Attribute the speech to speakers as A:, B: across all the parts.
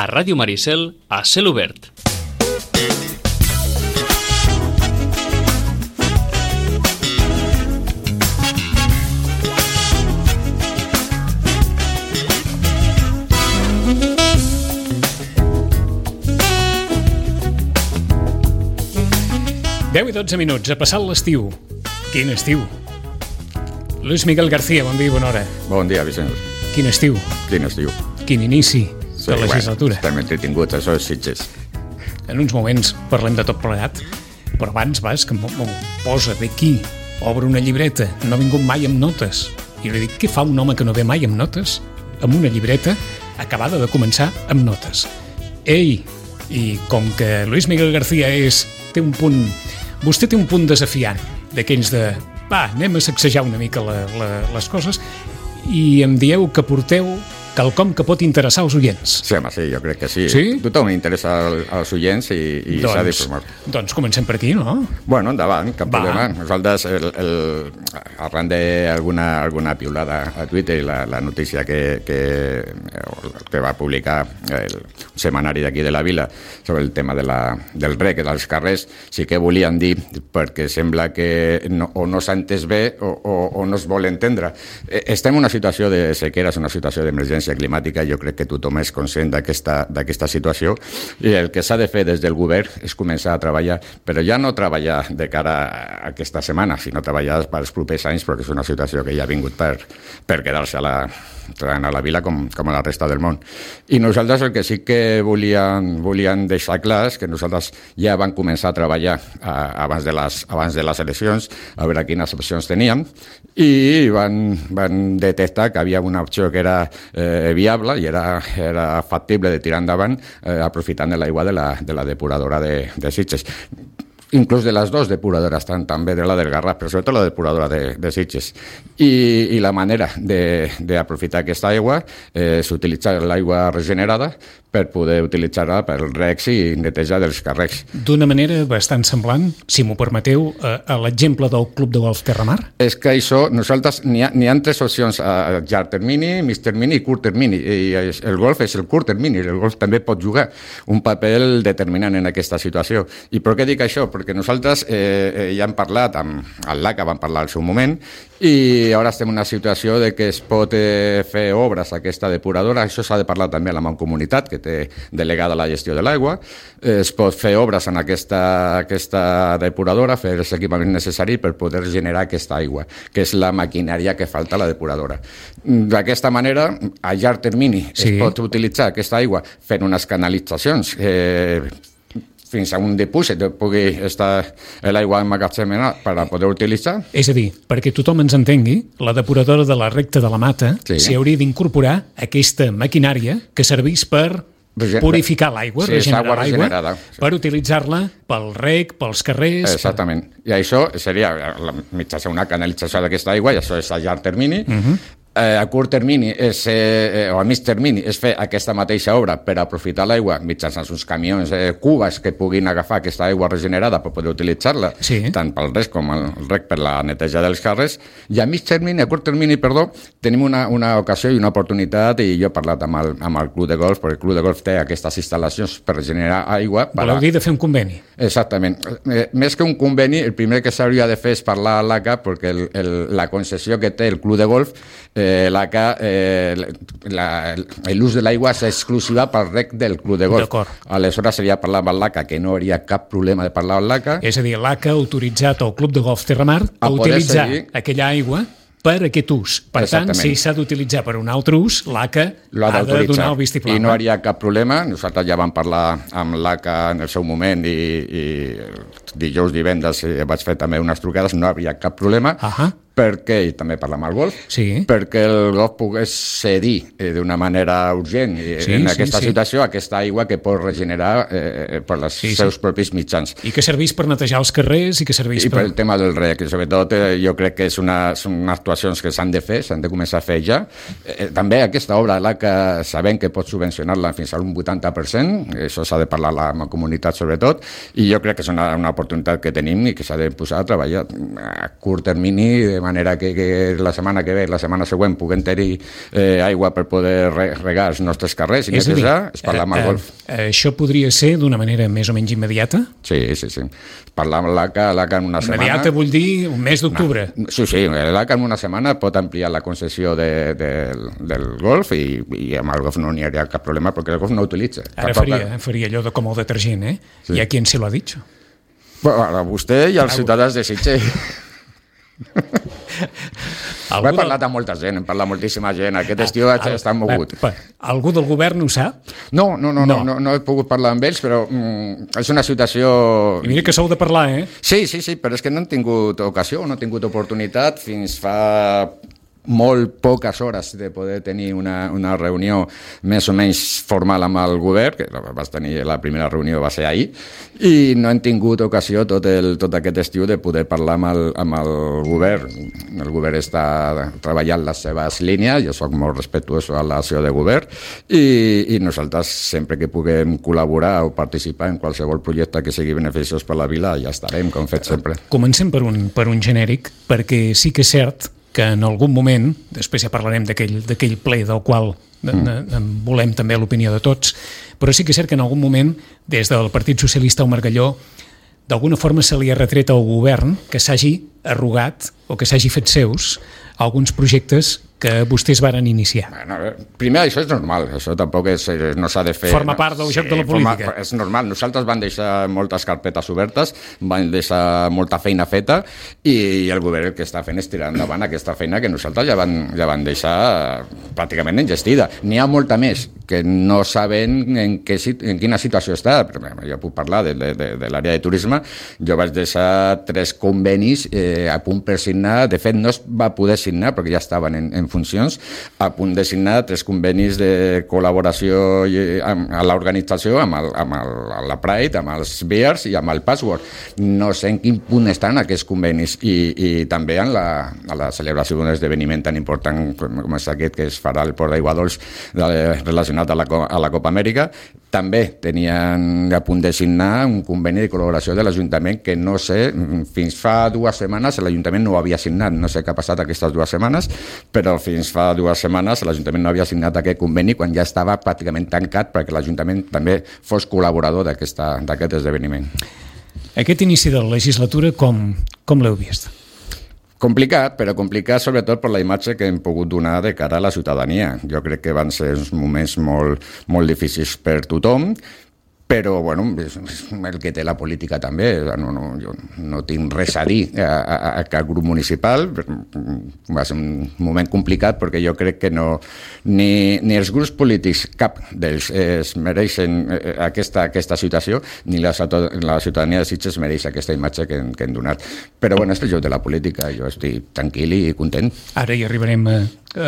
A: a Ràdio Maricel, a Cel Obert.
B: Deu i 12 minuts, ha passat l'estiu. Quin estiu? Luis Miguel García, bon dia i bona hora.
C: Bon dia, Vicenç.
B: Quin estiu?
C: Quin estiu?
B: Quin inici de legislatura.
C: Estem entretinguts, això és Sitges.
B: En uns moments parlem de tot plegat, però abans vas que m'ho posa d'aquí, obre una llibreta, no ha vingut mai amb notes. I li dic, què fa un home que no ve mai amb notes? Amb una llibreta acabada de començar amb notes. Ei, i com que Luis Miguel García té un punt... Vostè té un punt desafiant, d'aquells de... Va, anem a sacsejar una mica les coses i em dieu que porteu quelcom que pot interessar als oients.
C: Sí, home, sí, jo crec que sí.
B: Sí?
C: Tothom interessa als oients i s'ha d'informar.
B: Doncs comencem per aquí, no?
C: Bueno, endavant, cap problema. Nosaltres, arran d'alguna piulada a Twitter i la notícia que va publicar el setmanari d'aquí de la vila sobre el tema del rec dels carrers, sí que volien dir, perquè sembla que o no s'ha entès bé o no es vol entendre. Estem en una situació de sequera, és una situació d'emergència climàtica, jo crec que tothom és conscient d'aquesta situació i el que s'ha de fer des del govern és començar a treballar, però ja no treballar de cara a aquesta setmana, sinó treballar pels propers anys, perquè és una situació que ja ha vingut per quedar-se a la vila com a la resta del món. I nosaltres el que sí que volíem deixar clar és que nosaltres ja vam començar a treballar abans de les eleccions, a veure quines opcions teníem, i van detectar que havia una opció que era viable i era factible de tirar endavant aprofitant de l'aigua de la depuradora de Sitges. Inclús de les dues depuradores, també de la del Garraf, però sobretot la depuradora de Sitges. I la manera d'aprofitar aquesta aigua és utilitzar l'aigua regenerada per poder utilitzar-la per recs i netejar dels carrers.
B: D'una manera bastant semblant, si m'ho permeteu, a l'exemple del Club de Golf Terramar?
C: És que això, nosaltres, n'hi ha tres opcions, a llarg termini, mig termini i curt termini. I el golf és el curt termini, el golf també pot jugar un paper determinant en aquesta situació. I per què dic això? Perquè nosaltres ja hem parlat amb el LACA, vam parlar al seu moment, i ara estem en una situació de que es pot fer obres a aquesta depuradora, això s'ha de parlar també a la Mancomunitat, que té delegada la gestió de l'aigua, es pot fer obres en aquesta depuradora, fer els equipaments necessaris per poder generar aquesta aigua, que és la maquinària que falta a la depuradora. D'aquesta manera, a llarg termini, es pot utilitzar aquesta aigua fent unes canalitzacions fins a un dipòsit que pugui estar l'aigua emmagatzemada per a poder utilitzar.
B: És a dir, perquè tothom ens entengui, la depuradora de la recta de la Mata s'hi hauria d'incorporar aquesta maquinària que serveix per purificar l'aigua, regenerar l'aigua, per utilitzar-la pel rec, pels carrers...
C: Exactament. I això seria mitjançant una canalització d'aquesta aigua, i això és a llarg termini. A curt termini o a mig termini és fer aquesta mateixa obra per aprofitar l'aigua mitjançant uns camions cubes que puguin agafar aquesta aigua regenerada per poder utilitzar-la, tant pel rec com el rec per la neteja dels carrers. I a curt termini, tenim una ocasió i una oportunitat, i jo he parlat amb el Club de Golf, perquè el Club de Golf té aquestes instal·lacions per regenerar aigua.
B: Voleu dir de fer un conveni?
C: Exactament. Més que un conveni, el primer que s'hauria de fer és parlar a l'ACA, perquè la concessió que té el Club de Golf, l'ACA, l'ús de l'aigua és exclusiva pel rec del Club de Golf. Aleshores seria parlar amb l'ACA, que no hauria cap problema de parlar amb l'ACA.
B: És a dir, l'ACA ha autoritzat el Club de Golf Terramar a utilitzar aquella aigua per aquest ús. Per tant, si s'ha d'utilitzar per un altre ús, l'ACA ha de donar el vistiplau.
C: I no hi hauria cap problema. Nosaltres ja vam parlar amb l'ACA en el seu moment i dijous, divendres vaig fer també unes trucades, no hi havia cap problema. perquè, i també parlam al golf, perquè el golf pogués cedir d'una manera urgent en aquesta situació aquesta aigua que pot regenerar per els seus propis mitjans.
B: I que serveix per netejar els carrers i que serveix
C: per el tema del rec. Sobretot jo crec que són actuacions que s'han de fer, s'han de començar a fer ja. També aquesta obra, que sabem que pot subvencionar-la fins a un 80%, això s'ha de parlar amb la comunitat sobretot, i jo crec que és una oportunitat que tenim i que s'ha de posar a treballar a curt termini manera que la setmana que ve, la setmana següent, puguem tenir aigua per poder regar els nostres carrers i netejar, és parlar amb el golf.
B: Això podria ser d'una manera més o menys immediata?
C: Sí. Parlar amb l'ACA en una setmana...
B: Immediata vull dir un mes d'octubre.
C: Sí, l'ACA en una setmana pot ampliar la concessió del golf i amb el golf no n'hi hauria cap problema perquè el golf no utilitza.
B: Ara faria allò com el detergent, Sí. ¿Y a quién se lo ha dicho?
C: Bueno, a vostè i als ciutadans de Sitges. He parlat amb molta gent, hem parlat moltíssima gent. Aquest estiu està mogut.
B: Algú del govern ho sap?
C: No he pogut parlar amb ells, però és una situació...
B: I mira que sou de parlar,
C: Sí, però és que no han tingut ocasió, no han tingut oportunitat fins fa molt poques hores de poder tenir una reunió més o menys formal amb el govern, que la primera reunió va ser ahir, i no hem tingut ocasió tot aquest estiu de poder parlar amb el govern. El govern està treballant les seves línies, jo soc molt respectuós a l'acció de govern, i nosaltres sempre que puguem col·laborar o participar en qualsevol projecte que sigui beneficiós per la vila, ja estarem, com fet sempre.
B: Comencem per un genèric, perquè sí que és cert que en algun moment, després ja parlarem d'aquell ple del qual volem també l'opinió de tots, però sí que és cert que en algun moment, des del Partit Socialista al Margalló, d'alguna forma se li ha retret al govern que s'hagi arrogat o que s'hagi fet seus alguns projectes que vostès varen iniciar.
C: Bueno, primer, això és normal, això tampoc no s'ha de fer...
B: Forma part del joc de la política.
C: És normal, nosaltres vam deixar moltes carpetes obertes, vam deixar molta feina feta i el govern el que està fent és tirar endavant aquesta feina que nosaltres ja van deixar pràcticament engestida. N'hi ha molta més que no saben en quina situació està. Jo puc parlar de l'àrea de turisme. Jo vaig deixar 3 convenis a punt per signar. De fet, no es va poder signar perquè ja estaven en funcions, a punt de signar 3 convenis de col·laboració a l'organització amb la Pride, amb els Bears i amb el Password. No sé en quin punt estan aquests convenis i també en la celebració d'un esdeveniment tan important com és aquest que es farà al Port d'Aigua Dols relacionat a la Copa Amèrica. També tenien a punt de signar un conveni de col·laboració de l'Ajuntament que no sé, fins fa 2 setmanes l'Ajuntament no ho havia signat, no sé què ha passat aquestes 2 setmanes, però fins fa 2 setmanes l'Ajuntament no havia signat aquest conveni quan ja estava pràcticament tancat perquè l'Ajuntament també fos col·laborador d'aquest esdeveniment.
B: Aquest inici de la legislatura com l'heu vist?
C: Complicat, però complicat sobretot per la imatge que hem pogut donar de cara a la ciutadania. Jo crec que van ser uns moments molt difícils per tothom, però bueno, és el que té la política també. Jo no tinc res a dir a cap grup municipal. Va ser un moment complicat perquè jo crec que ni els grups polítics, cap d'ells es mereixen aquesta situació, ni la ciutadania de Sitges mereix aquesta imatge que hem donat. Però bueno, és el joc de la política. Jo estic tranquil i content.
B: Ara hi arribarem a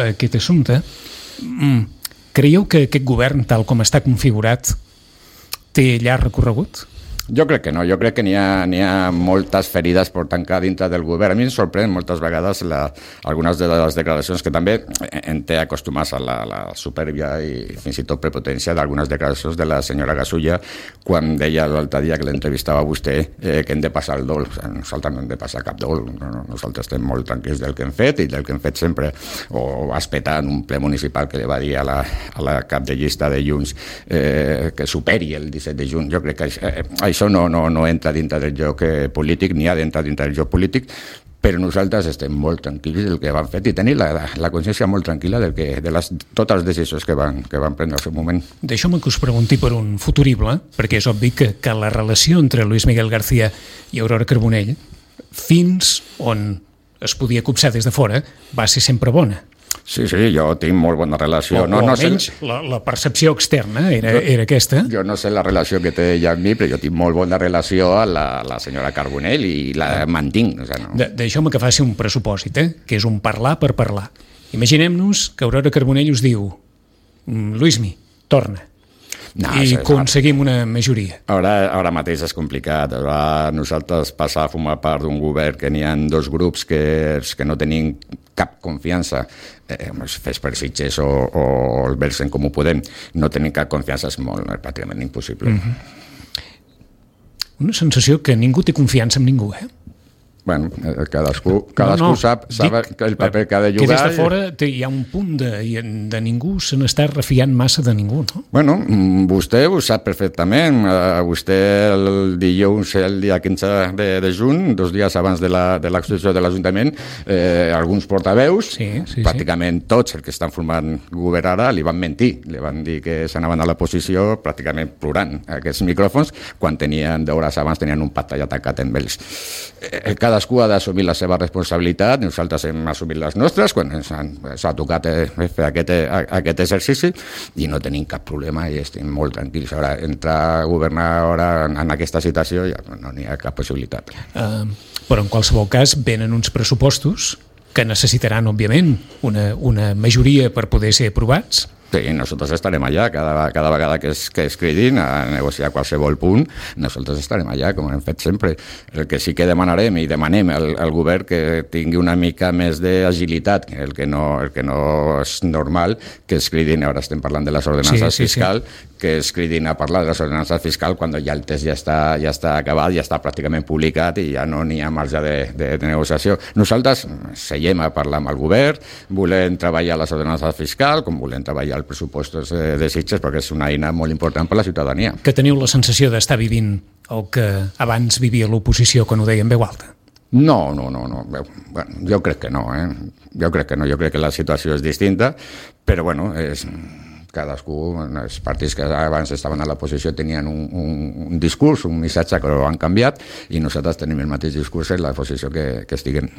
B: aquest assumpte. Creieu que aquest govern, tal com està configurat, té llarg recorregut?
C: Jo crec que no, jo crec que n'hi ha moltes ferides per tancar dintre del govern. A mi em sorprèn moltes vegades algunes de les declaracions que també en té acostumats a la supèrbia i fins i tot prepotència d'algunes declaracions de la senyora Gasulla quan deia l'altre dia que l'entrevistava a vostè que hem de passar el dol. Nosaltres no hem de passar cap dol, nosaltres estem molt tranquils del que hem fet i del que hem fet sempre, o espetar en un ple municipal que li va dir a la cap de llista de Junts que superi el 17 de juny. Jo crec que això no entra dintre del joc polític, ni ha d'entrar dintre del joc polític, però nosaltres estem molt tranquils del que van fer i tenir la consciència molt tranquil·la de totes les decisions que van prendre al seu moment.
B: Deixeu-me que us pregunti per un futurible, perquè és obvi que la relació entre Luis Miguel García i Aurora Carbonell, fins on es podia copsar des de fora, va ser sempre bona.
C: Sí, jo tinc molt bona relació.
B: O almenys la percepció externa era aquesta.
C: Jo no sé la relació que té ella amb mi, però jo tinc molt bona relació a la senyora Carbonell i la mantinc.
B: Deixeu-me que faci un pressupòsit, que és un parlar per parlar. Imaginem-nos que Aurora Carbonell us diu Luismi, torna. I aconseguim una majoria.
C: Ara mateix és complicat. Nosaltres passar a formar part d'un govern que n'hi ha 2 grups que no tenim cap confiança, fes per Sitges o el Versen com ho podem, no tenim cap confiança, és pràcticament impossible.
B: Una sensació que ningú té confiança en ningú,
C: Bueno, cadascú sap el paper que ha de jugar.
B: Que des de fora hi ha un punt de ningú se n'està refiant massa de ningú, no?
C: Bueno, vostè ho sap perfectament. Vostè el dilluns, el dia 15 de juny, 2 dies abans de l'exposició de l'Ajuntament, alguns portaveus, pràcticament tots els que estan formant govern ara, li van mentir. Li van dir que s'anaven a l'oposició pràcticament plorant aquests micròfons, quan d'hores abans tenien un pacte ja tancat amb ells. Cadascú ha d'assumir la seva responsabilitat, nosaltres hem assumit les nostres quan s'ha tocat fer aquest exercici i no tenim cap problema i estem molt tranquils. Ara, entrar a governar ara en aquesta situació ja no n'hi ha cap possibilitat.
B: Però en qualsevol cas venen uns pressupostos que necessitaran, òbviament, una majoria per poder ser aprovats.
C: Sí, nosotros estarem allà cada vegada que es cridin a negociar qualsevol punt, nosaltres estarem allà, com hem fet sempre. El que sí que demanarem i demanem al govern que tingui una mica més d'agilitat, el que no és normal que es cridin, ara estem parlant de les ordenances fiscal, que es cridin a parlar de les ordenances fiscal quan ja el text ja està acabat, ja està pràcticament publicat i ja no n'hi ha marge de negociació. Nosaltres seguim a parlar amb el govern, volem treballar les ordenances fiscal, com volem treballar els pressupostos de Sitges, perquè és una eina molt important per a la ciutadania.
B: Que teniu la sensació d'estar vivint el que abans vivia l'oposició quan ho deia en veu alta?
C: No. Bueno, jo crec que no, Jo crec que la situació és distinta, però bueno, cadascú, els partits que abans estaven a l'oposició tenien un discurs, un missatge que ho han canviat, i nosaltres tenim el mateix discurs en la posició que estiguem.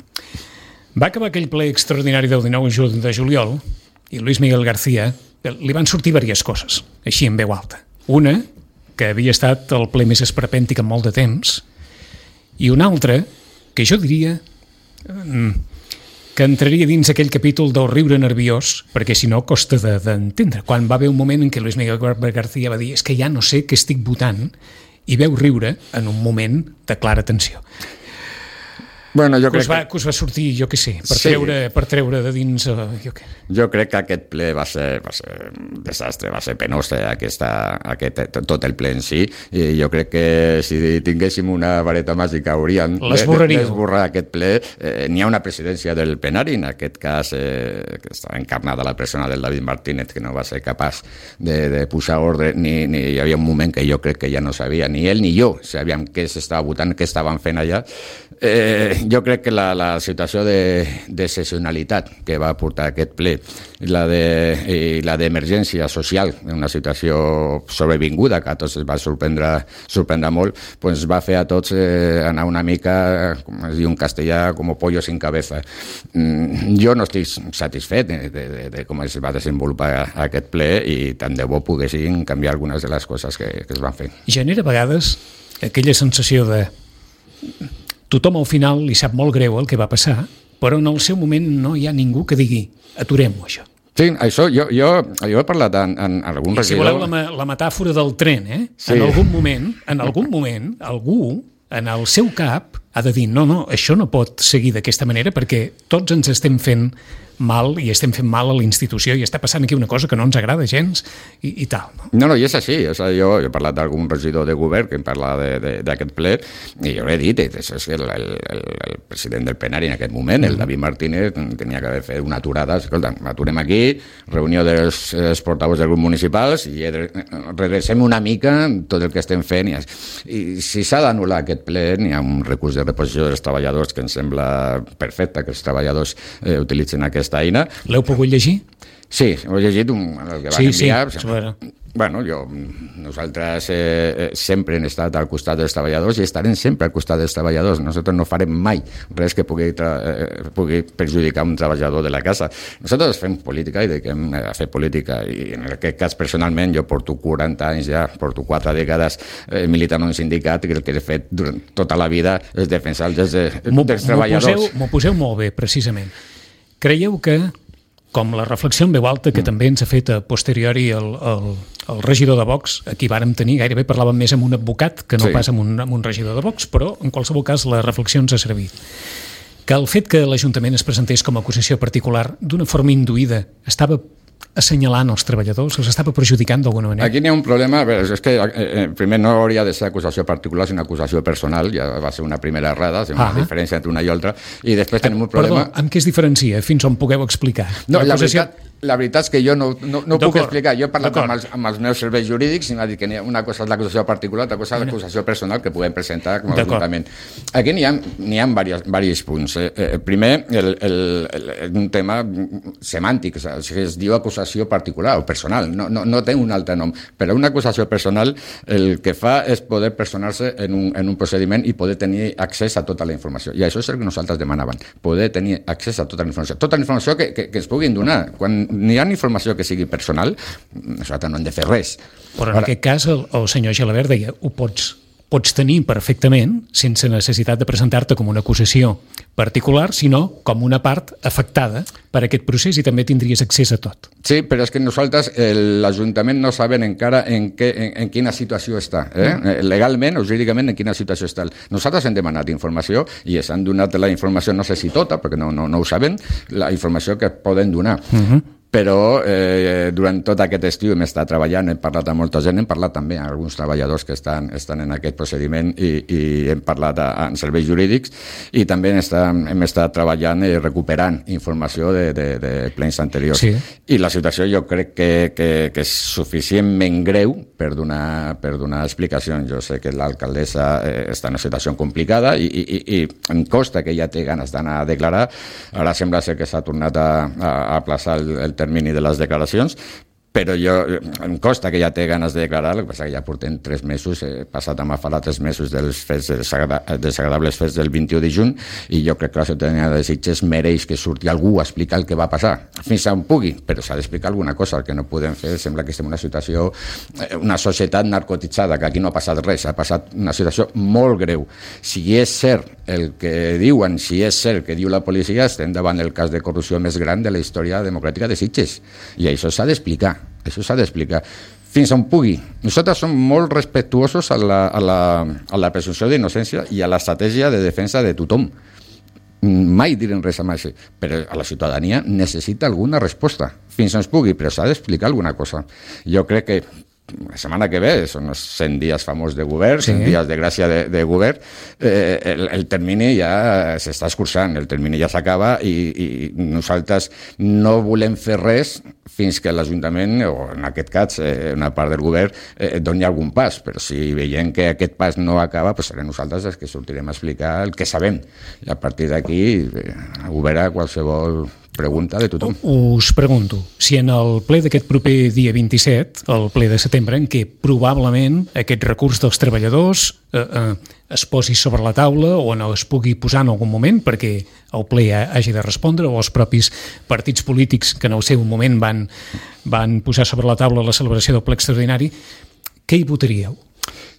B: Va acabar aquell ple extraordinari del 19 de juliol i Luis Miguel García li van sortir diverses coses, així en veu alta. Una, que havia estat el ple més esperpèntic en molt de temps, i una altra, que jo diria que entraria dins aquell capítol del riure nerviós, perquè si no costa d'entendre. Quan va haver un moment en què Luis Miguel García va dir és que ja no sé què estic votant, i veu riure en un moment de clara tensió.
C: Bueno, jo crec
B: que us va sortir, jo què sé, per treure de dins...
C: Jo crec que aquest ple va ser un desastre, va ser penós tot el ple en si, i jo crec que si tinguéssim una vareta màgica hauríem d'esborrar aquest ple. N'hi ha una presidència del plenari, en aquest cas que estava encarnada la persona del David Martínez, que no va ser capaç de posar ordre, ni hi havia un moment que jo crec que ja no sabia, ni ell ni jo sabíem què s'estava votant, què estaven fent allà. Jo crec que la situació d'excepcionalitat que va portar aquest ple i la d'emergència social, una situació sobrevinguda que a tots es va sorprendre molt, doncs va fer a tots anar una mica, com es diu en castellà, com pollo sin cabeza. Jo no estic satisfet de com es va desenvolupar aquest ple i tant de bo poguessin canviar algunes de les coses que es van fer.
B: Genera a vegades aquella sensació de tothom al final li sap molt greu el que va passar, però en el seu moment no hi ha ningú que digui aturem-ho, això.
C: Sí, això, jo he parlat en algun regidor...
B: Si voleu la metàfora del tren, sí. En algun moment, algú en el seu cap ha de dir no, això no pot seguir d'aquesta manera perquè tots ens estem fent mal i estem fent mal a la institució i està passant aquí una cosa que no ens agrada gens i tal.
C: No, i és així. O sigui, jo he parlat d'algun regidor de govern que em parla d'aquest ple i jo l'he dit, és que el president del plenari en aquest moment, el David Martínez, tenia que haver fet una aturada. Escolta, aturem aquí, reunió dels portaveus dels grups municipals i redrecem una mica tot el que estem fent. I si s'ha d'anul·lar aquest ple, n'hi ha un recurs de reposició dels treballadors que em sembla perfecte que els treballadors utilitzen aquesta eina.
B: L'heu pogut llegir?
C: Sí, ho he llegit el que van enviar.
B: Sí.
C: Bueno, nosaltres sempre hem estat al costat dels treballadors i estarem sempre al costat dels treballadors. Nosaltres no farem mai res que pugui perjudicar un treballador de la casa. Nosaltres fem política i dediquem a fer política i en aquest cas personalment jo porto 40 anys ja, porto 4 dècades militant en un sindicat i el que he fet durant tota la vida és defensar els dels treballadors.
B: M'ho poseu molt bé, precisament. Creieu que, com la reflexió en veu alta que també ens ha fet a posteriori el regidor de Vox, aquí vàrem tenir, gairebé parlàvem més amb un advocat que no pas amb un regidor de Vox, però en qualsevol cas la reflexió ens ha servit. Que el fet que l'Ajuntament es presentés com a acusació particular d'una forma induïda estava assenyalant els treballadors? Els estava perjudicant d'alguna manera?
C: Aquí n'hi ha un problema, és que primer no hauria de ser acusació particular, sinó acusació personal, ja va ser una primera errada, una diferència entre una i altra, i després tenim un problema...
B: Perdó, amb què es diferencia? Fins on pugueu explicar?
C: No, la veritat és que jo no puc explicar. Jo he parlat amb els meus serveis jurídics i m'ha dit que una cosa és l'acusació particular, altra cosa és l'acusació personal que podem presentar com a ajuntament. Aquí n'hi ha diversos punts. Primer, un tema semàntic, es diu acusació particular o personal, no té un altre nom, però una acusació personal el que fa és poder personar-se en un procediment i poder tenir accés a tota la informació. I això és el que nosaltres demanàvem, poder tenir accés a tota la informació. Tota la informació que es puguin donar. Quan n'hi ha informació que sigui personal, nosaltres no hem de fer res.
B: Però en aquest cas el senyor Gelabert deia ho pots tenir perfectament sense necessitat de presentar-te com una acusació particular, sinó com una part afectada per aquest procés i també tindries accés a tot.
C: Sí, però és que nosaltres, l'Ajuntament no sabem encara en quina situació està. Legalment o jurídicament en quina situació està. Nosaltres hem demanat informació i ens han donat la informació, no sé si tota, perquè no ho sabem, la informació que poden donar. Però durant tot aquest estiu hem estat treballant, hem parlat amb molta gent, hem parlat també amb alguns treballadors que estan en aquest procediment i hem parlat amb serveis jurídics i també hem estat treballant i recuperant informació de plens anteriors. Sí. I la situació jo crec que és suficientment greu per donar explicacions. Jo sé que l'alcaldessa està en una situació complicada i em costa que ella té ganes d'anar a declarar. Ara sembla ser que s'ha tornat a aplaçar el termini de les declaracions, però em costa que ja té ganes de declarar, el que passa que ja portem 3 mesos, he passat a Mafala 3 mesos dels desagradables fets del 21 de juny, i jo crec que la ciutadania de Sitges mereix que surti algú a explicar el que va passar, fins on pugui, però s'ha d'explicar alguna cosa. El que no podem fer, sembla que estem en una situació, una societat narcotitzada, que aquí no ha passat res, ha passat una situació molt greu. Si és cert el que diuen, si és cert que diu la policia, estem davant del cas de corrupció més gran de la història democràtica de Sitges, i això s'ha d'explicar. Això s'ha d'explicar fins on pugui. Nosaltres som molt respectuosos a la presumpció d'innocència i a l'estratègia de defensa de tothom. Mai direm res amb això, però a la ciutadania necessita alguna resposta fins on es pugui, però s'ha d'explicar alguna cosa. Jo crec que la setmana que ve són els 100 dies famós de govern, 100 dies de gràcia de govern, el termini ja s'està escurçant, el termini ja s'acaba i nosaltres no volem fer res fins que l'Ajuntament, o en aquest cas una part del govern, doni algun pas, però si veiem que aquest pas no acaba, doncs serem nosaltres els que sortirem a explicar el que sabem, i a partir d'aquí oberà qualsevol pregunta de tothom.
B: Us pregunto, si en el ple d'aquest proper dia 27, el ple de setembre, en què probablement aquest recurs dels treballadors es posi sobre la taula o no es pugui posar en algun moment perquè el ple hagi de respondre, o els propis partits polítics que en el seu moment van posar sobre la taula la celebració del ple extraordinari, què hi votaríeu?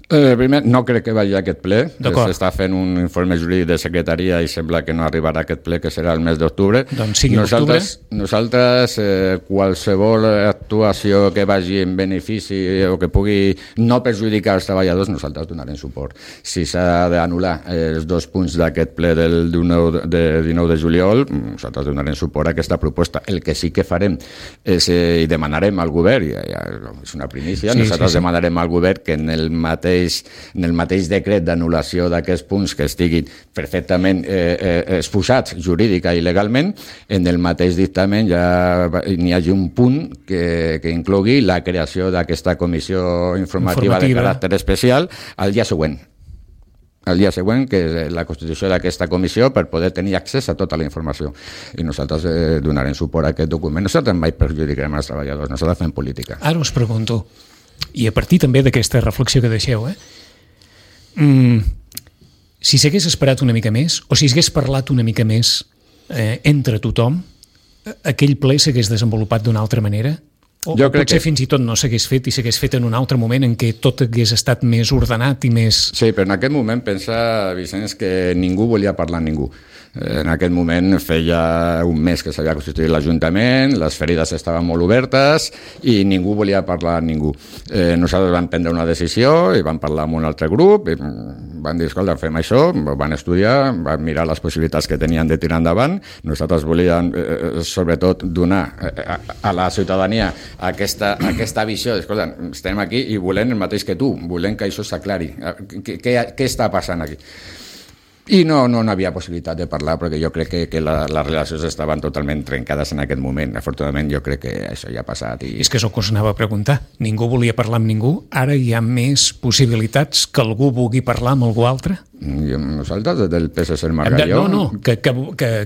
C: Primer, no crec que vagi a aquest ple. S'està fent un informe jurídic de secretaria i sembla que no arribarà a aquest ple, que serà el mes d'octubre.
B: Doncs sigui l'octubre.
C: Nosaltres, qualsevol actuació que vagi en benefici o que pugui no perjudicar els treballadors, nosaltres donarem suport. Si s'ha d'anul·lar els 2 punts d'aquest ple del 19 de juliol, nosaltres donarem suport a aquesta proposta. El que sí que farem és, i demanarem al govern, i és una primícia, nosaltres demanarem al govern que en el mateix decret d'anul·lació d'aquests punts que estiguin perfectament exposats jurídica i legalment, en el mateix dictamen ja n'hi hagi un punt que inclogui la creació d'aquesta comissió informativa de caràcter especial al dia següent. El dia següent, que és la constitució d'aquesta comissió, per poder tenir accés a tota la informació. I nosaltres donarem suport a aquest document. Nosaltres mai perjudicarem els treballadors, nosaltres fem política.
B: Ara us pregunto, i a partir també d'aquesta reflexió que deixeu, si s'hagués esperat una mica més, o si s'hagués parlat una mica més entre tothom, aquell ple s'hagués desenvolupat d'una altra manera? O potser fins i tot no s'hagués fet i s'hagués fet en un altre moment en què tot hagués estat més ordenat i més...
C: Sí, però en aquest moment pensa, Vicenç, que ningú volia parlar amb ningú. En aquest moment feia un mes que s'havia constituït l'Ajuntament, les ferides estaven molt obertes i ningú volia parlar amb ningú. Nosaltres vam prendre una decisió i vam parlar amb un altre grup, van dir, escolta, fem això, van estudiar, van mirar les possibilitats que tenien de tirar endavant. Nosaltres volíem, sobretot, donar a la ciutadania aquesta visió, escolta, estem aquí i volem el mateix que tu, volem que això s'aclari. Què està passant aquí? I no havia possibilitat de parlar perquè jo crec que les relacions estaven totalment trencades en aquest moment. Afortunadament jo crec que això ja ha passat.
B: És que és el que us anava a preguntar. Ningú volia parlar amb ningú. Ara hi ha més possibilitats que algú vulgui parlar amb algú altre?
C: Nosaltres, del PSC Margalló...
B: No, que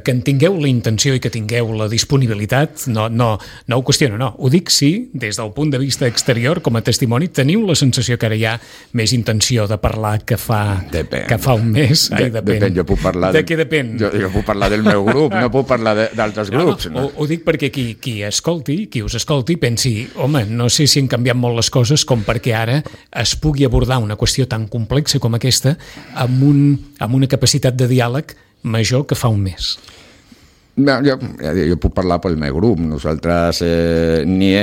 B: en tingueu la intenció i que tingueu la disponibilitat, no ho qüestiono, no. Ho dic sí, des del punt de vista exterior, com a testimoni, teniu la sensació que ara hi ha més intenció de parlar que fa un mes?
C: Depèn, jo puc parlar...
B: De què depèn?
C: Jo puc parlar del meu grup, no puc parlar d'altres grups.
B: No. Ho dic perquè qui us escolti, pensi, home, no sé si han canviat molt les coses com perquè ara es pugui abordar una qüestió tan complexa com aquesta amb una capacitat de diàleg major que fa un mes.
C: Jo puc parlar pel meu grup. Nosaltres ni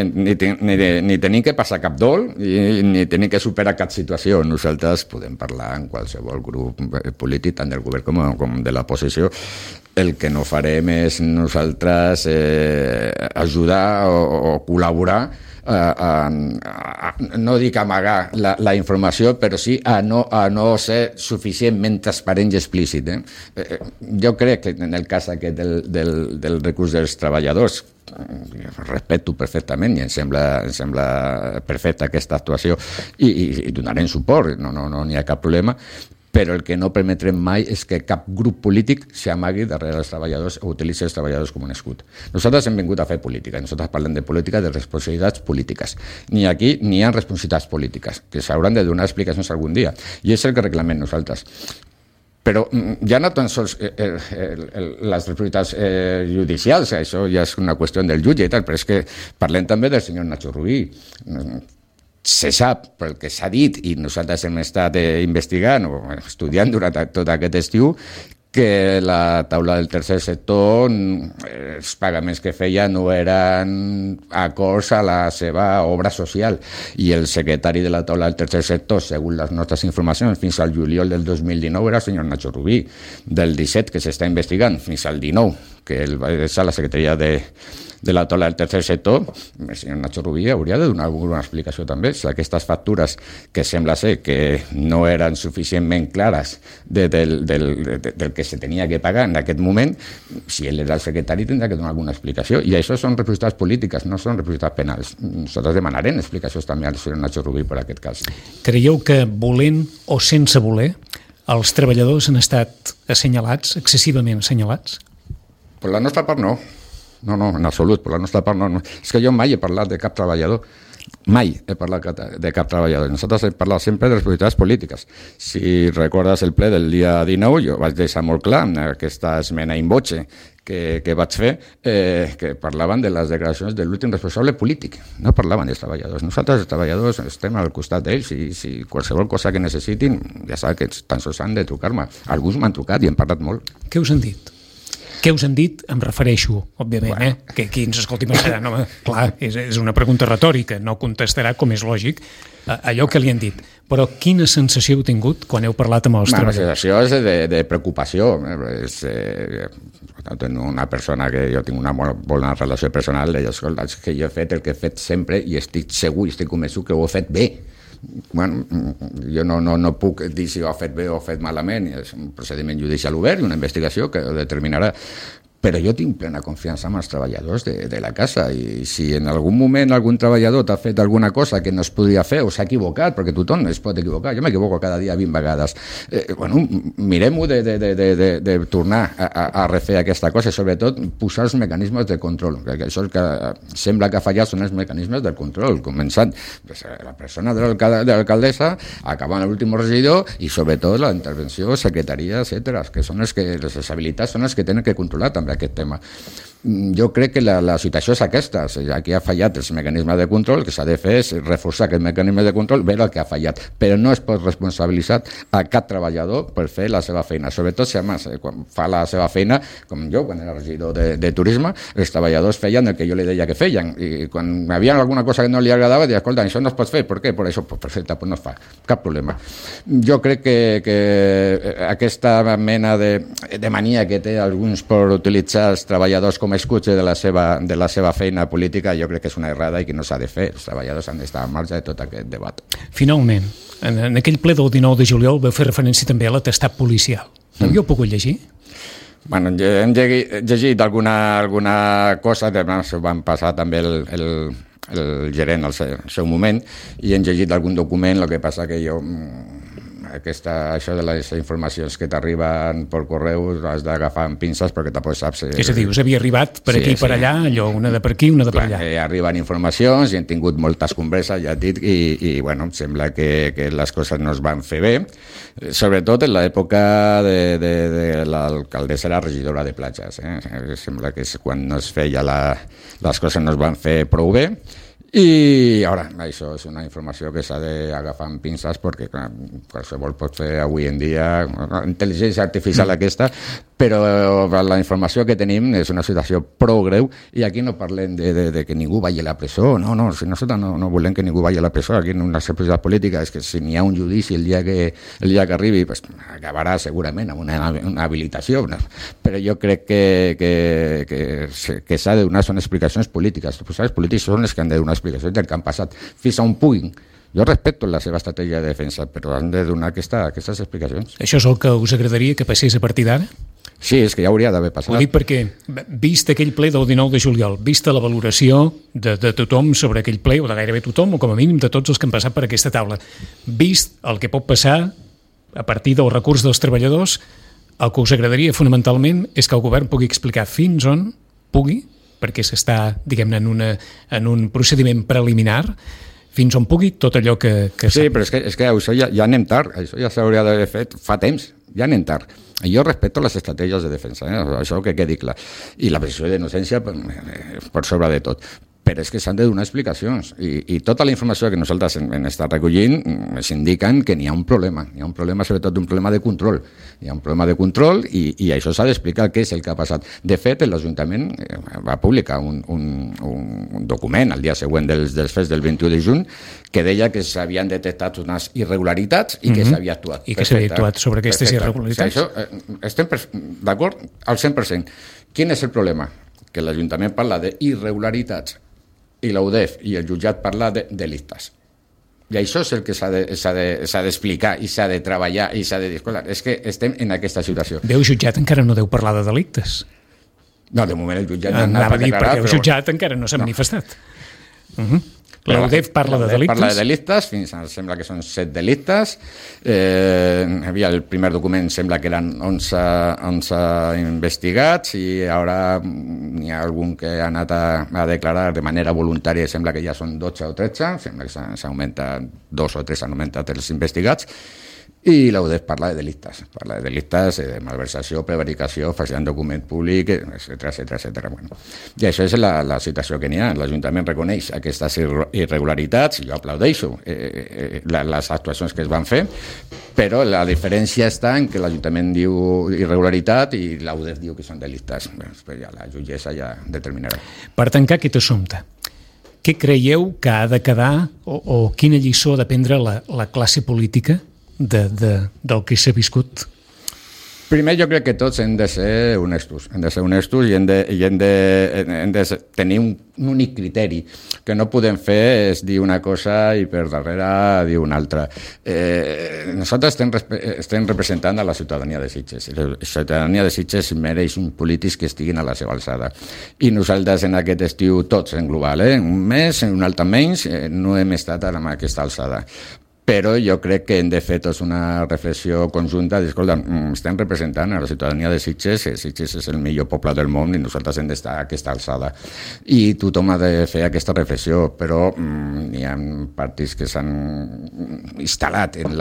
C: tenim que passar cap dol ni tenim que superar cap situació. Nosaltres podem parlar en qualsevol grup polític, tant del govern com de l'oposició. El que no farem és nosaltres ajudar o col·laborar no dic amagar la informació, però sí a no ser suficientment transparent i explícit. Jo crec que en el cas aquest del recurs dels treballadors, respecto perfectament i em sembla perfecta aquesta actuació i donarem suport, no n'hi ha cap problema, però el que no permetrem mai és que cap grup polític s'amagui darrere els treballadors o utilitzi els treballadors com un escut. Nosaltres hem vingut a fer política, nosaltres parlem de política, de responsabilitats polítiques. Ni aquí ni hi ha responsabilitats polítiques, que s'hauran de donar explicacions algun dia, i és el que reclamem nosaltres. Però ja no tan sols les responsabilitats judicials, això ja és una qüestió del jutge i tal, però és que parlem també del senyor Nacho Rubí. Se sap, pel que s'ha dit, i nosaltres hem estat investigant o estudiant durant tot aquest estiu, que la taula del tercer sector, els pagaments que feia no eren acords a la seva obra social. I el secretari de la taula del tercer sector, segons les nostres informacions, fins al juliol del 2019 era el senyor Nacho Rubí. Del 17, que s'està investigant, fins al 19, que ell va deixar la secretaria de la taula del tercer sector, el senyor Nacho Rubí hauria de donar alguna explicació també. Si aquestes factures que sembla ser que no eren suficientment clares del que se tenia que pagar en aquest moment, si ell era el secretari tindrà que donar alguna explicació. I això són responsabilitats polítiques, no són responsabilitats penals. Nosaltres demanarem explicacions també al senyor Nacho Rubí per aquest cas.
B: Creieu que volent o sense voler els treballadors han estat assenyalats, excessivament assenyalats?
C: Per la nostra part no. No, en absolut, per la nostra part no. És que jo mai he parlat de cap treballador. Mai he parlat de cap treballador. Nosaltres hem parlat sempre de responsabilitats polítiques. Si recordes el ple del dia 19, jo vaig deixar molt clar en aquesta esmena in voce que vaig fer, que parlaven de les declaracions de l'últim responsable polític. No parlaven dels treballadors. Nosaltres, els treballadors, estem al costat d'ells i si qualsevol cosa que necessitin, ja sap que tan sols han de trucar-me. Alguns m'han trucat i hem parlat molt.
B: Què us han dit? Què us han dit? Em refereixo, òbviament, que qui ens escolti pensarà, no, clar, és una pregunta retòrica, no contestarà, com és lògic, allò que li han dit. Però quina sensació heu tingut quan heu parlat amb els treballadors?
C: La sensació és de preocupació. Una persona que jo tinc una molt bona relació personal, deia, escolta, que jo he fet el que he fet sempre i estic segur i estic convençut que ho he fet bé. Bueno, jo no puc dir si ho ha fet bé o ho ha fet malament, és un procediment judicial obert i una investigació que ho determinarà, però jo tinc plena confiança en els treballadors de la casa i si en algun moment algun treballador t'ha fet alguna cosa que no es podria fer o s'ha equivocat, perquè tothom es pot equivocar, jo m'equivoco cada dia 20 vegades, mirem-ho de tornar a refer aquesta cosa i sobretot posar els mecanismes de control, perquè això que sembla que ha fallat són els mecanismes del control, començant la persona de l'alcaldessa, acabant l'últim regidor i sobretot la intervenció, secretaria, etc., que són les habilitats són les que tenen que controlar també aquest tema. Jo crec que la situació és aquesta. Aquí ha fallat els mecanismes de control, el que s'ha de fer és reforçar aquest mecanisme de control, veure el que ha fallat, però no es pot responsabilitzar a cap treballador per fer la seva feina, sobretot si més, quan fa la seva feina, com jo, quan era regidor de turisme, els treballadors feien el que jo li deia que feien, i quan hi havia alguna cosa que no li agradava, deia, escolta, això no es pot fer, per què? Per això, perfecte, pues no es fa, cap problema. Jo crec que aquesta mena de mania que té alguns per utilitzar els treballadors com escutxe de la seva feina política, jo crec que és una errada i que no s'ha de fer. Els treballadors han d'estar al marge de tot aquest debat.
B: Finalment, en aquell ple del 19 de juliol vau fer referència també a l'atestat policial. L'havíeu pogut llegir?
C: Bueno, hem llegit alguna cosa, ho van passar també el gerent al seu moment, i hem llegit algun document, el que passa que jo... això de les informacions que t'arriben per correu has d'agafar amb pinces perquè tampoc saps...
B: És a dir, us havia arribat per aquí i per allà, allò, una de per aquí, una de per allà.
C: Arriben informacions i hem tingut moltes converses, ja et dic, i bueno, sembla que les coses no es van fer bé, sobretot en l'època de l'alcaldessa era regidora de platges. Sembla que és quan no es feia les coses no es van fer prou bé. I ara, això és una informació que s'ha d'agafar amb pinces perquè qualsevol pot fer avui en dia intel·ligència artificial aquesta, però la informació que tenim és una situació prou greu i aquí no parlem de que ningú vagi a la presó, no, si nosaltres no volem que ningú vagi a la presó, aquí en una societat política és que si n'hi ha un judici el dia que arribi pues, acabarà segurament amb una habilitació, però jo crec que s'ha de donar són explicacions polítiques, els polítics són els que han de donar explicacions del que han passat, fins a un puguin. Jo respecto la seva estratègia de defensa, però han de donar aquestes explicacions.
B: Això és el que us agradaria que passés a partir d'ara?
C: Sí, és que ja hauria d'haver passat.
B: Ho dic perquè, vist aquell ple del 19 de juliol, vista la valoració de tothom sobre aquell ple, o de gairebé tothom, o com a mínim de tots els que han passat per aquesta taula, vist el que pot passar a partir del recurs dels treballadors, el que us agradaria fonamentalment és que el govern pugui explicar fins on pugui, perquè s'està, diguem-ne, en un procediment preliminar, fins on pugui tot allò que
C: sí, però és que això ja anem tard, això ja s'hauria d'haver fet fa temps, ja anem tard. Jo respeto les estratègies de defensa, això que quedi clar, i la presumpció d'innocència per sobre de tot. Però és que s'han de donar explicacions i tota la informació que nosaltres hem estat recollint ens indiquen que n'hi ha un problema, sobretot un problema de control. Hi ha un problema de control i això s'ha d'explicar què és el que ha passat. De fet, l'Ajuntament va publicar un document el dia següent dels fets del 21 de juny que deia que s'havien detectat unes irregularitats i que s'havia actuat.
B: I que s'havia actuat sobre aquestes irregularitats.
C: Això, estem d'acord al 100%. Quin és el problema? Que l'Ajuntament parla d'irregularitats i l'UDEF i el jutjat parla de delictes. I això és el que s'ha d'explicar i s'ha de treballar i s'ha de dir, escolta, és que estem en aquesta situació.
B: El jutjat encara no deu parlar de delictes.
C: No, de moment el jutjat
B: no anava a dir perquè el jutjat encara no s'ha manifestat. L'UDEF parla de delictes?
C: Parla de delictes, sembla que són 7 delictes. El primer document sembla que eren 11 investigats i ara n'hi ha algun que ha anat a declarar de manera voluntària, sembla que ja són 12 o 13, sembla que s'augmenta 2 o 3 han augmentat els investigats. I l'UDEF parla de delictes, de malversació, prevaricació, falsitat de document públic, etc. Bueno, i això és la situació que n'hi ha. L'Ajuntament reconeix aquestes irregularitats, jo aplaudeixo les actuacions que es van fer, però la diferència està en que l'Ajuntament diu irregularitat i l'UDEF diu que són delictes. Ja la jutgessa ja determinarà.
B: Per tancar aquest assumpte, què creieu que ha de quedar o quina lliçó ha de prendre la classe política del que s'ha viscut?
C: Primer, jo crec que tots hem de ser honestos, i hem de tenir un únic criteri. Que no podem fer és dir una cosa i per darrere dir una altra. Nosaltres estem representant a la ciutadania de Sitges. La ciutadania de Sitges mereix uns polítics que estiguin a la seva alçada. I nosaltres en aquest estiu, tots en global, un mes, un altre menys, no hem estat a aquesta alçada. Però jo crec que hem de fer tots una reflexió conjunta de, escolta, estem representant a la ciutadania de Sitges, Sitges és el millor poble del món i nosaltres hem d'estar a aquesta alçada. I tothom ha de fer aquesta reflexió, però hi ha partits que s'han instal·lat en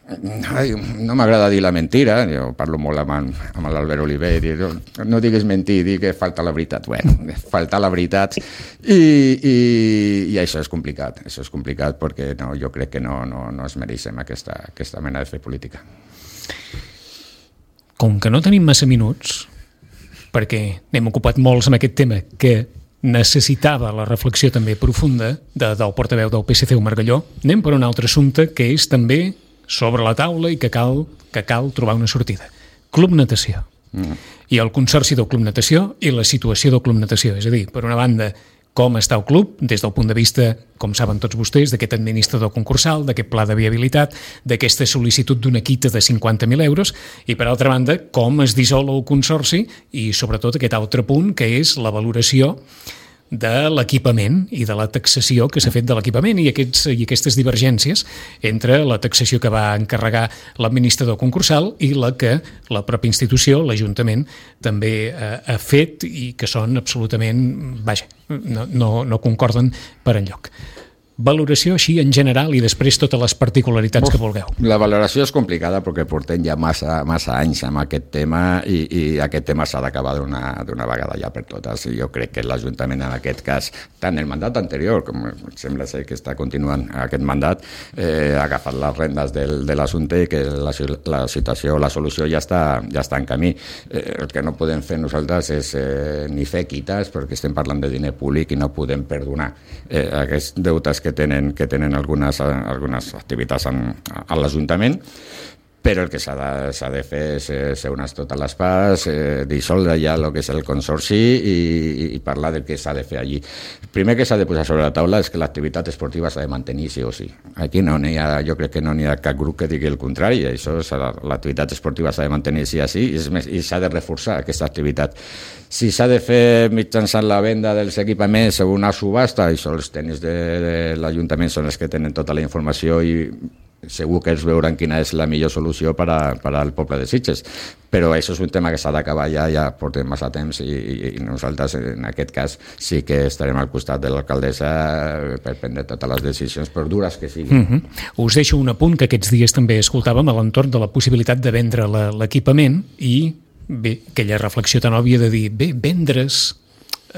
C: no m'agrada dir la mentira, jo parlo molt amb l'Albert Oliver, no digues mentir, dic que falta la veritat. Bueno, falta la veritat i això és complicat perquè jo crec que no es mereixem aquesta mena de fer política.
B: Com que no tenim massa minuts, perquè n'hem ocupat molts amb aquest tema que necessitava la reflexió també profunda del portaveu del PSC, Omar Galló, anem per un altre assumpte que és també sobre la taula i que cal trobar una sortida. Club Natació. I el consorci del Club Natació i la situació del Club Natació. És a dir, per una banda, com està el club des del punt de vista, com saben tots vostès, d'aquest administrador concursal, d'aquest pla de viabilitat, d'aquesta sol·licitud d'una quita de 50.000 euros, i per altra banda, com es dissol el consorci i sobretot aquest altre punt que és la valoració de l'equipament i de la taxació que s'ha fet de l'equipament i aquestes divergències entre la taxació que va encarregar l'administrador concursal i la que la pròpia institució, l'Ajuntament, també ha fet i que són absolutament, vaja, no concorden per enlloc. Valoració així en general i després totes les particularitats que vulgueu.
C: La valoració és complicada perquè portem ja massa anys amb aquest tema i aquest tema s'ha d'acabar d'una vegada ja per totes. Jo crec que l'Ajuntament en aquest cas, tant el mandat anterior, com sembla ser que està continuant aquest mandat, ha agafat les rendes de l'assumpte i que la situació, la solució ja està en camí. El que no podem fer nosaltres és ni fer quites perquè estem parlant de diner públic i no podem perdonar aquests deutes que tenen algunes activitats a l'Ajuntament, però el que s'ha de fer és seure's totes les parts, dissoldre ja el que és el consorci i parlar del que s'ha de fer allí. El primer que s'ha de posar sobre la taula és que l'activitat esportiva s'ha de mantenir sí o sí. Aquí jo crec que no n'hi ha cap grup que digui el contrari. L'activitat esportiva s'ha de mantenir sí o sí i s'ha de reforçar aquesta activitat. Si s'ha de fer mitjançant la venda dels equipaments o una subhasta, això els tècnics de l'Ajuntament són els que tenen tota la informació i segur que ells veuran quina és la millor solució per al poble de Sitges. Però això és un tema que s'ha d'acabar ja portem massa temps i nosaltres en aquest cas sí que estarem al costat de l'alcaldessa per prendre totes les decisions, per dures que siguin.
B: Us deixo un apunt que aquests dies també escoltàvem a l'entorn de la possibilitat de vendre l'equipament i bé, aquella reflexió tan òbvia de dir, bé, vendre's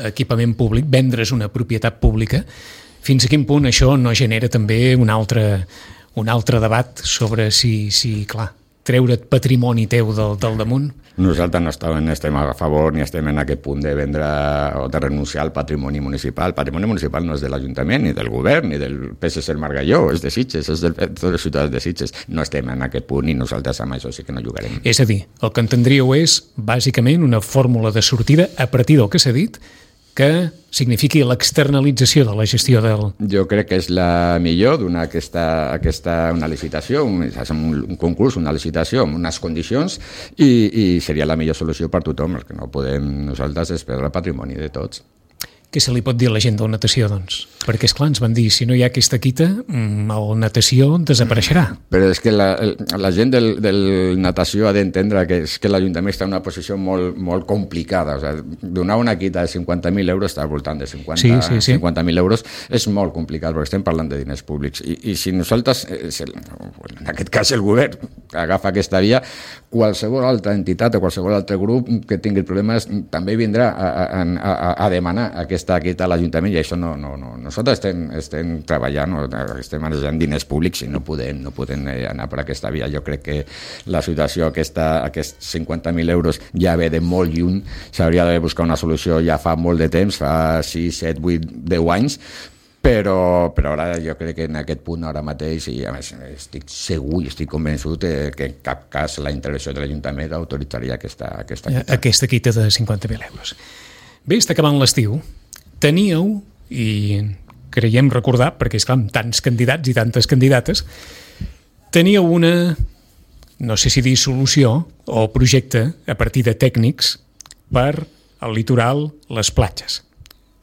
B: equipament públic, vendre's una propietat pública, fins a quin punt això no genera també un altre debat sobre si clar, treure't patrimoni teu del damunt?
C: Nosaltres no estem a favor ni estem en aquest punt de vendre o de renunciar al patrimoni municipal. El patrimoni municipal no és de l'Ajuntament, ni del govern, ni del PSC el Margalló, és de Sitges, és de tots els ciutadans de Sitges. No estem en aquest punt i nosaltres amb això sí que no jugarem.
B: És a dir, el que entendríeu és, bàsicament, una fórmula de sortida a partir del que s'ha dit, que signifiqui l'externalització de la gestió del...
C: Jo crec que és la millor donar una licitació, un concurs, una licitació amb unes condicions i seria la millor solució per tothom. El que no podem nosaltres és perdre el patrimoni de tots.
B: Què se li pot dir a la gent del natació, doncs? Perquè, esclar, ens van dir, si no hi ha aquesta quita, el natació desapareixerà.
C: Però és que la gent del natació ha d'entendre que és que l'Ajuntament està en una posició molt complicada. O sigui, donar una quita de 50.000 euros, està al voltant de 50.000 euros, és molt complicat, perquè estem parlant de diners públics. I si nosaltres, en aquest cas el govern, agafa aquesta via, qualsevol altra entitat o qualsevol altre grup que tingui problemes també vindrà a demanar aquesta quita a l'Ajuntament i això no. Nosaltres estem treballant, estem manejant diners públics i no podem anar per aquesta via. Jo crec que la situació, aquests 50.000 euros ja ve de molt lluny, s'hauria de buscar una solució ja fa molt de temps, fa 6, 7, 8, 10 anys, però ara jo crec que en aquest punt ara mateix, i a més estic segur i estic convençut que en cap cas la intervenció de l'Ajuntament autoritzaria aquesta quita.
B: Aquesta quita de 50.000 euros. Bé, està acabant l'estiu. Teníeu, i creiem recordar, perquè és clar, amb tants candidats i tantes candidates, teníeu una, no sé si dir solució o projecte a partir de tècnics per al litoral, les platges.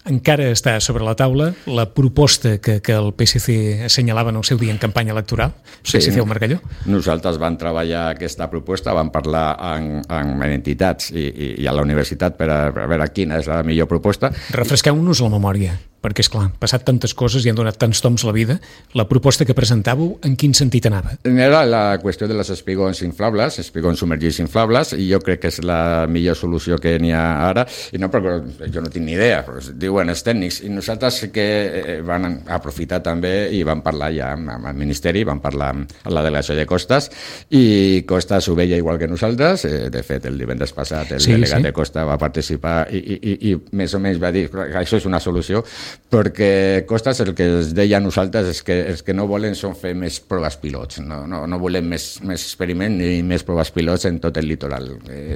B: encara està sobre la taula la proposta que el PSC assenyalava en el seu dia en campanya electoral, PSC al Margalló?
C: Nosaltres vam treballar aquesta proposta, vam parlar amb entitats i a la universitat per a veure quina és la millor proposta.
B: Refresqueu-nos la memòria, perquè, esclar, han passat tantes coses i han donat tants toms a la vida. La proposta que presentàveu, en quin sentit anava?
C: Era la qüestió de les espigons inflables, espigons submergits inflables, i jo crec que és la millor solució que n'hi ha ara, i no perquè jo no tinc ni idea, però diuen els tècnics, i nosaltres sí que van aprofitar també i van parlar ja amb el Ministeri, van parlar amb la delegació de Costas, i Costas ho veia igual que nosaltres. De fet, el divendres passat el delegat de Costas va participar i més o menys va dir que això és una solució, perquè Costas el que es deia a nosaltres és que els que no volen són fer més proves pilots, no volem més experiment ni més proves pilots en tot el litoral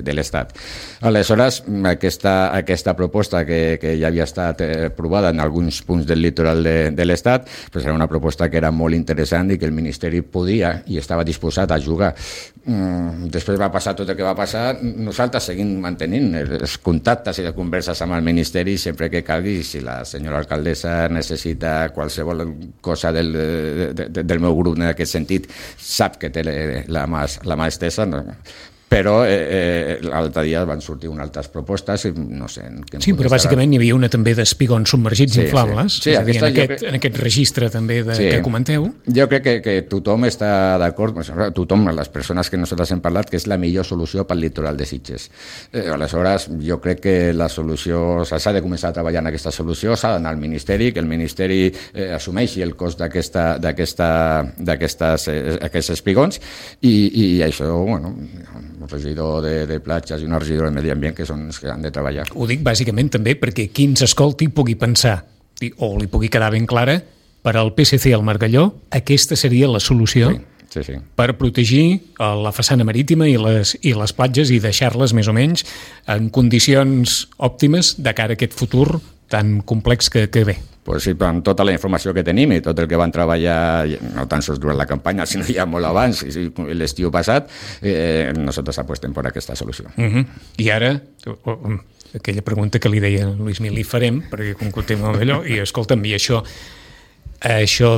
C: de l'Estat. Aleshores, aquesta proposta que ja havia estat aprovada en alguns punts del litoral de l'Estat, pues era una proposta que era molt interessant i que el Ministeri podia i estava disposat a jugar. Després va passar tot el que va passar. Nosaltres seguim mantenint els contactes i les converses amb el Ministeri sempre que calgui. Si la senyora alcaldessa necessita qualsevol cosa del meu grup en aquest sentit, sap que té la mà estesa, però l'altre dia van sortir unes altres propostes i no sé...
B: Sí, però bàsicament hi havia una també d'espigons submergits inflables,
C: sí,
B: en aquest registre també que comenteu.
C: Jo crec que tothom està d'acord, tothom, les persones que nosaltres hem parlat, que és la millor solució pel litoral de Sitges. Aleshores, jo crec que la solució, s'ha de començar a treballar en aquesta solució, s'ha d'anar al Ministeri, que el Ministeri assumeixi el cost d'aquests espigons, i això, bueno, un regidor de platges i una regidora de medi ambient que són els que han de treballar.
B: Ho dic bàsicament també perquè qui ens escolti pugui pensar, o li pugui quedar ben clara, per al PSC al Margalló aquesta seria la solució per protegir la façana marítima i les platges i deixar-les més o menys en condicions òptimes de cara a aquest futur tan complex que ve.
C: Pues sí, amb tota la informació que tenim i tot el que van treballar, no tan sols durant la campanya, sinó ja molt abans, l'estiu passat, nosaltres apostem per aquesta solució.
B: I ara, aquella pregunta que li deia a Luis Mil, li farem, perquè conclutem amb allò, i escolta'm, i això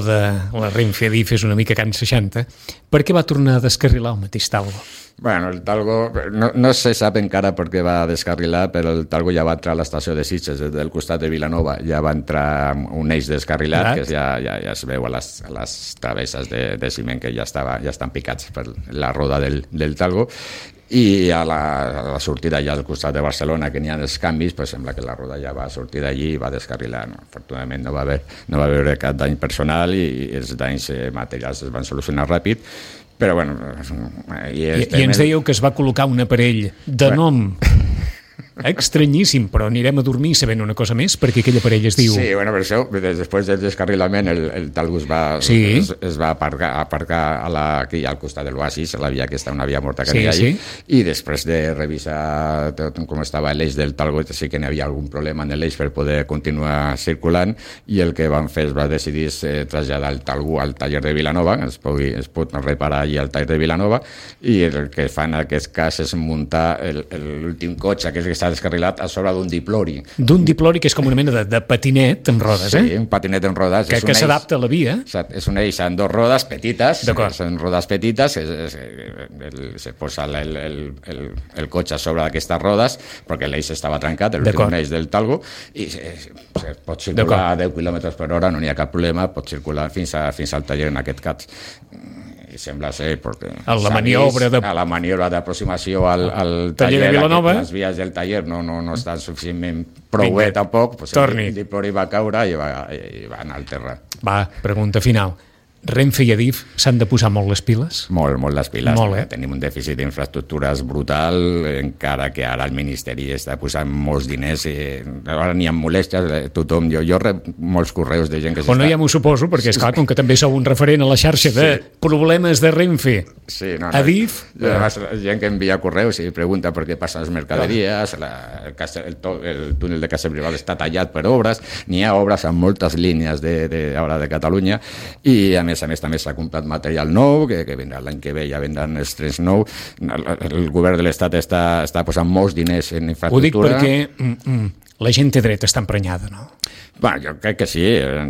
B: de la Renfe Adif és una mica Can 60, per què va tornar a descarrilar el mateix Talgo?
C: Bueno, el Talgo, no se sap encara per què va descarrilar, però el Talgo ja va entrar a l'estació de Sitges, del costat de Vilanova, ja va entrar un eix descarrilat, que ja es veu a les travesses de ciment que ja estan picats per la roda del Talgo, i a la sortida ja al costat de Barcelona, que n'hi ha els canvis, pues sembla que la roda ja va sortir d'allí i va descarrilar. Afortunadament no va haver cap dany personal i els danys materials es van solucionar ràpid, però bueno...
B: I ens dèieu que es va col·locar un aparell de nom estranyíssim, però anirem a dormir sabent una cosa més, perquè aquell aparell es diu...
C: Sí, bueno, per això, després del descarrilament, el Talgo es va aparcar aquí al costat de l'Oasis, a la via aquesta, una via morta que hi ha allí, i després de revisar tot com estava l'eix del Talgo, sí que n'hi havia algun problema en l'eix per poder continuar circulant, i el que van fer es va decidir traslladar el Talgo al taller de Vilanova, es pot reparar allí al taller de Vilanova, i el que fan en aquest cas és muntar l'últim cotxe, que és que està descarrilat a sobre d'un diplori.
B: D'un diplori que és com una mena de patinet amb rodes,
C: Sí, un patinet amb rodes.
B: Que s'adapta a la via.
C: És un eix amb dos rodes petites, són rodes petites, se posa el cotxe a sobre d'aquestes rodes, perquè l'eix estava trencat, l'últim eix del Talgo, i se pot circular a 10 km per hora, no n'hi ha cap problema, pot circular fins al taller en aquest cas. I sembla ser perquè
B: a la
C: maniobra d'aproximació al taller
B: de Vilanova,
C: les vies del taller no estan suficientment prou bé tampoc, el diplori va caure i va anar al terra.
B: Va, pregunta final. Renfe i Adif s'han de posar molt les piles?
C: Molt les piles. Tenim un dèficit d'infraestructures brutal, encara que ara el Ministeri està posant molts diners i ara n'hi ha molèsties, tothom, jo rep molts correus de gent que
B: s'està... no, ja m'ho suposo, perquè és clar, com que també sou un referent a la xarxa de problemes de Renfe, Adif...
C: Gent que envia correus i pregunta per què passen les mercaderies, el túnel de Castellbisbal està tallat per obres, n'hi ha obres en moltes línies de Catalunya, i a més també s'ha comprat material nou, que vindrà l'any que ve, ja vendran els trens nous. El govern de l'Estat està posant molts diners en infraestructura.
B: Ho dic perquè la gent té dret a estar emprenyada, no?
C: Jo crec que sí.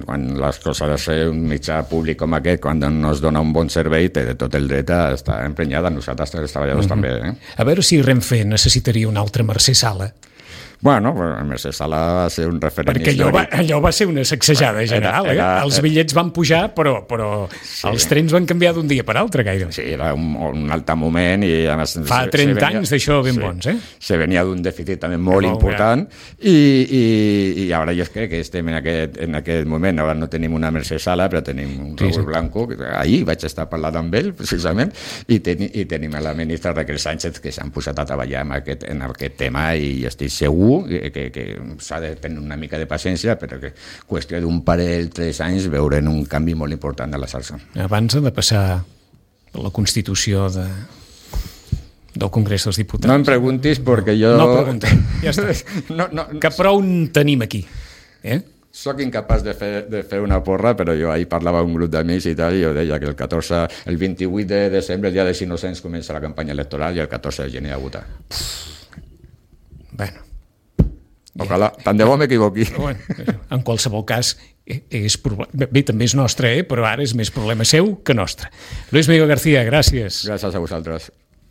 C: Quan les coses de un mitjà públic com aquest, quan no es dona un bon servei, té tot el dret a estar emprenyada. Nosaltres, els treballadors, també.
B: A veure si Renfe necessitaria una altra Mercè Sala.
C: Bueno, Mercè Sala va ser un referent
B: perquè allò va ser una sacsejada general. Els bitllets van pujar, però sí. Els trens van canviar d'un dia per altre, gaire.
C: Sí, era un altre moment i a més...
B: Fa 30 anys d'això ben bons,
C: Se venia d'un dèficit també molt important i ara jo crec que estem en aquest moment. Ara no tenim una Mercè Sala, però tenim un Raúl Blanco. Ahir vaig estar parlant amb ell, precisament, i tenim la ministra Raquel Sánchez, que s'han posat a treballar en aquest tema i estic segur que s'ha de tenir una mica de paciència, però que qüestió d'un parell, 3 anys, veurem un canvi molt important de la xarxa.
B: Abans ha de passar la Constitució del Congrés dels Diputats.
C: No em preguntis perquè jo...
B: No preguntem, ja està. Que prou tenim aquí.
C: Soc incapaç de fer una porra, però jo ahir parlava amb un grup d'amics i tal, i jo deia que el 28 de desembre, el dia dels Innocents, comença la campanya electoral i el 14 de gener a votar.
B: Bueno.
C: Ojalà, tant de bo m'equivoqui.
B: En qualsevol cas, bé, també és nostre, però ara és més problema seu que nostre. Luis Miguel García, gràcies.
C: Gràcies a vosaltres.